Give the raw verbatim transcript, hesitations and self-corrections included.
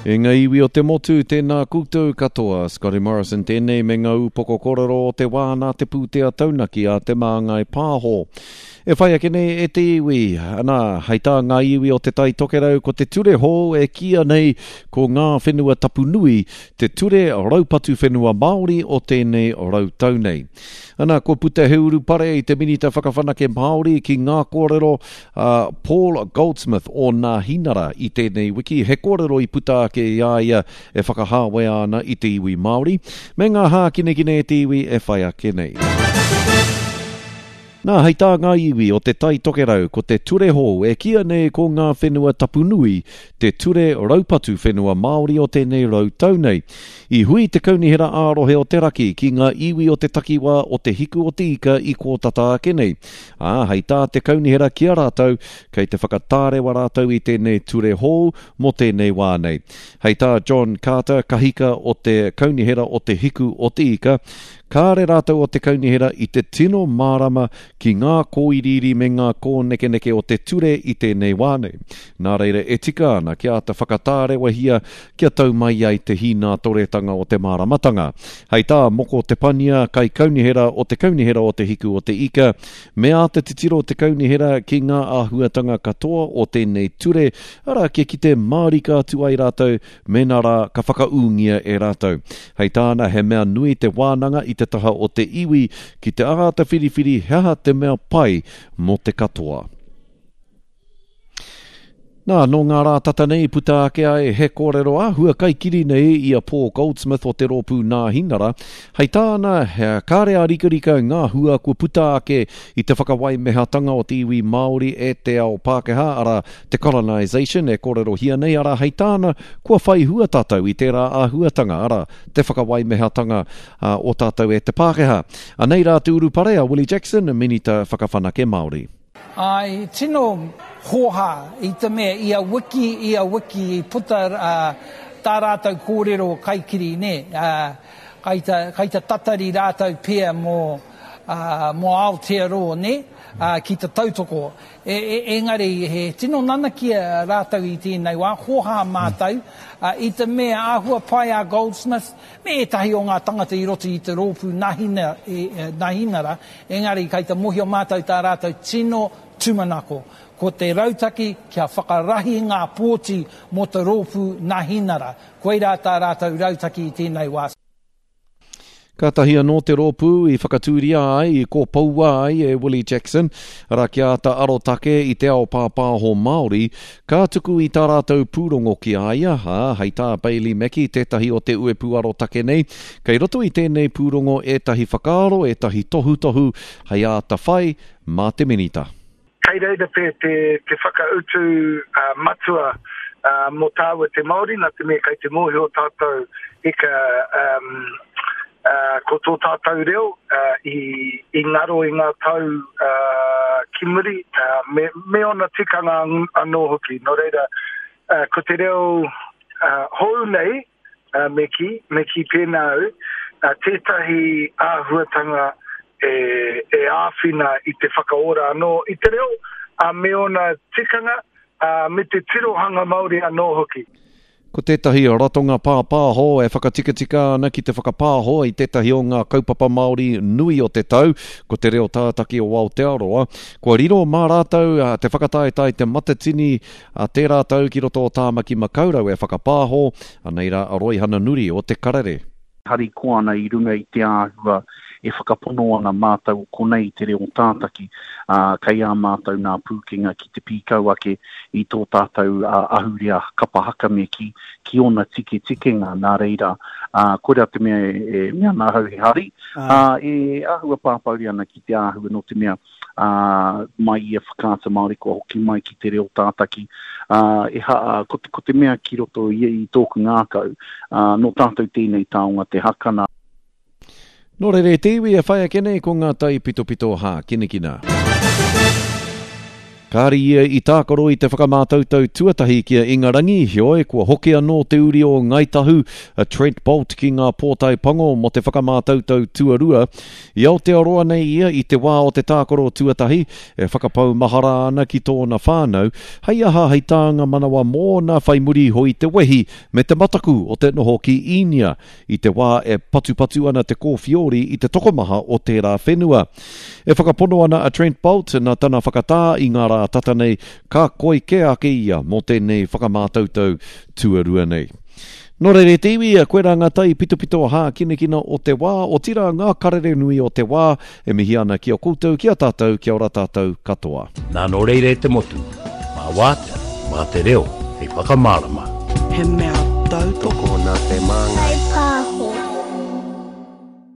E ngā iwi o te motu, tēnā koutou katoa. Scotty Morrison tēnei me ngā upoko kōrero o te wā nā te pūtea taunaki a Te Māngai Pāho. E whai ake nei e te iwi, ana, hei tā ngā iwi o Te Tai Tokerau ko te ture hou e kīia nei ko ngā whenua tapu nui, te ture raupatu whenua Māori o tēnei rautau nei. Ana, kua puta he urupare i te Minita Whakawhanake Māori ki ngā kōrero a Paul Goldsmith o Nāhinara i tēnei wiki. He kōrero i puta ake i a ia e whakahāwea ana i te iwi Māori, me ngā hākinekine e te iwi e whai ake nei. Nā, hei tā ngā iwi o Te Tai Tokerau, ko te ture hou e kīia nei ko ngā whenua tapu nui, te ture raupatu whenua Māori o tēnei rau tau nei. I hui te Kaunihera ā-rohe o te Raki ki ngā iwi o te takiwā o Te Hiku o te Ika i kō tata ake nei. Ā, hei tā te Kaunihera ki a rātou, kei te whakatārewa rātou i tēnei ture hou mō tēnei wā nei. Hei tā John Carter, kahika o te Kaunihera o Te Hiku o te Ika, kāre rātou o te Kaunihera i te tino mārama ki ngā kōiriiri me ngā kōnekeneke o te ture i tēnei wā nei. Nā reira e tika ana kia āta whakatārewahia kia tau mai ai te hīnātoretanga o te māramatanga. Hei tā Moko Te Pania, kaikaunihera o te Kaunihera o Te Hiku o te Ika, me āta titiro te Kaunihera ki ngā āhuatanga katoa o tēnei ture, arā kia kite mārika atu ai rātou mēnā rā ka whakaūngia e rātou. Hei tāna he mea nui te wānanga i te taha o te iwi ki te āta whiriwhiri he aha te mea pai mō te katoa. Nā, nō ngā rā tata nei puta ake ai he kōrero āhua kaikiri nei i a Paul Goldsmith o te rōpū Nāhinara. Hei tāna, he kāre a rikarika ngā hua kua puta ake i te whakawaimehatanga o te iwi Māori e te ao Pākehā, arā, te colonisation e kōrerohia nei, arā, hei tāna, kua whai hua tātou i tērā āhuatanga, arā, te whakawaimehatanga o tātou e te Pākehā. Anei rā te urupare a Willie Jackson, Minita Whakawhanake Māori. Ai, tino hōhā i te mea ia wiki, ia wiki i puta uh, tā rātou kōrero kaikiri, nē. Uh, kai ta, kai ta tatari rātou pea mō, uh, mō Aotearoa, nē, uh, ki te tautoko. E, e, engari, he tino nanakia rātou i tēnei wā, hōhā mātou, uh, i te mea āhua pai a Goldsmith, me ētahi o ngā tangata i roto i te rōpū nahina, e, e, Nahinara, engari kai te mohio mātou tā rātou tino tūmanako. Ko te rautaki kia whakarahi ngā pōti mō te rōpū Nahinara. Koirā tā rātou rautaki i tēnei wā. Kātahi anō te rōpū i whakatūria ai, i kōpoua ai e Willie Jackson, arā kia āta arotake i te ao pāpāho Māori, ka tuku i tā rātou pūrongo ki a ia, ā, hei tā Bailey Mackey, tētahi o te uepu arotake nei, kei roto i tēnei pūrongo ētahi whakaaro, ētahi tohutohu, hei āta whai mā te minita. Kei reira te, te, te whakautu uh, matua uh, mō tāua te Māori, nā te mea kei te mōhio tātou eka um, uh, ko tō tātou reo uh, i, i ngaro i ngā tau uh, ki muri, uh, me, me ona tikanga anō hoki. Nō reira, uh, ko te reo uh, hou nei, uh, me ki, me ki pēnā au, uh, tētahi āhuatanga e, e āwhina i te whakaora anō i te reo, uh, me ona tikanga, uh, me te tirohanga Māori anō hoki. Ko tētahi ratonga pāpāho e whakatikatika ana ki te whakapāho i tētahi o ngā kaupapa Māori nui o te tau, ko te reo tātaki o Aotearoa. Kua riro mā rātou te whakataetae te Matatini a tērā tau ki roto o Tāmaki Makaurau e whakapāho, anei rā a Roihana Nuri o Te Karere. Harikoa ana i runga i te āhua e whakapono ana mātou o konei te reo tātaki, uh, kei a mātou nā pūkenga ki te pīkau ake i tō tātou uh, ahurea kapa haka me ki, ki ona tike tikenga nā reira. Uh, koira te mea e, e mea nā hau he hari, uh, e āhua pāpauri ana ki te āhua no te mea uh, mai i a Whakaata Māori kua hoki mai ki te reo tātaki. Uh, e ha, uh, ko, te, ko te mea ki roto i, i tōku ngākau, uh, no tātou tēnei taonga te hakana. Nō reira e te iwi e whai ake nei ko ngā tai pitopito hākinakina. Kāre ia i tākaro i te whakamātautau tuatahi ki a Ingarangi, heoi kua hoki anō te uri o Ngāi Tahu, a Trent Boult ki ngā pōtae pango mō te whakamātautau tuarua. I Aotearoa nei ia i te wā o te tākaro tuatahi, e whakapau mahara ana ki tōna whānau, hei aha hei tānga manawa mōna whai muri iho i te wehi me te mataku o te noho ki Īnia i te wā e patupatu ana te kōwhiori i te tokomaha o tērā whenua. E whakapono ana a Trent Boult nā tana whakatā i ngā rā tata nei, ka koi kē ake ia mō tēnei whakamātautau tuarua nei. Nō reira e te iwi, koirā ngā tai pitopito hākinakina o te wā, otirā ngā karere nui o te wā, e mihi ana ki a koutou, ki a tātou, kia ora tātou katoa. Nā nō reira e te motu, mā wātea, mā te reo, hei whakamārama. He mea tautoko. Tokona te māngai. Kaipāho.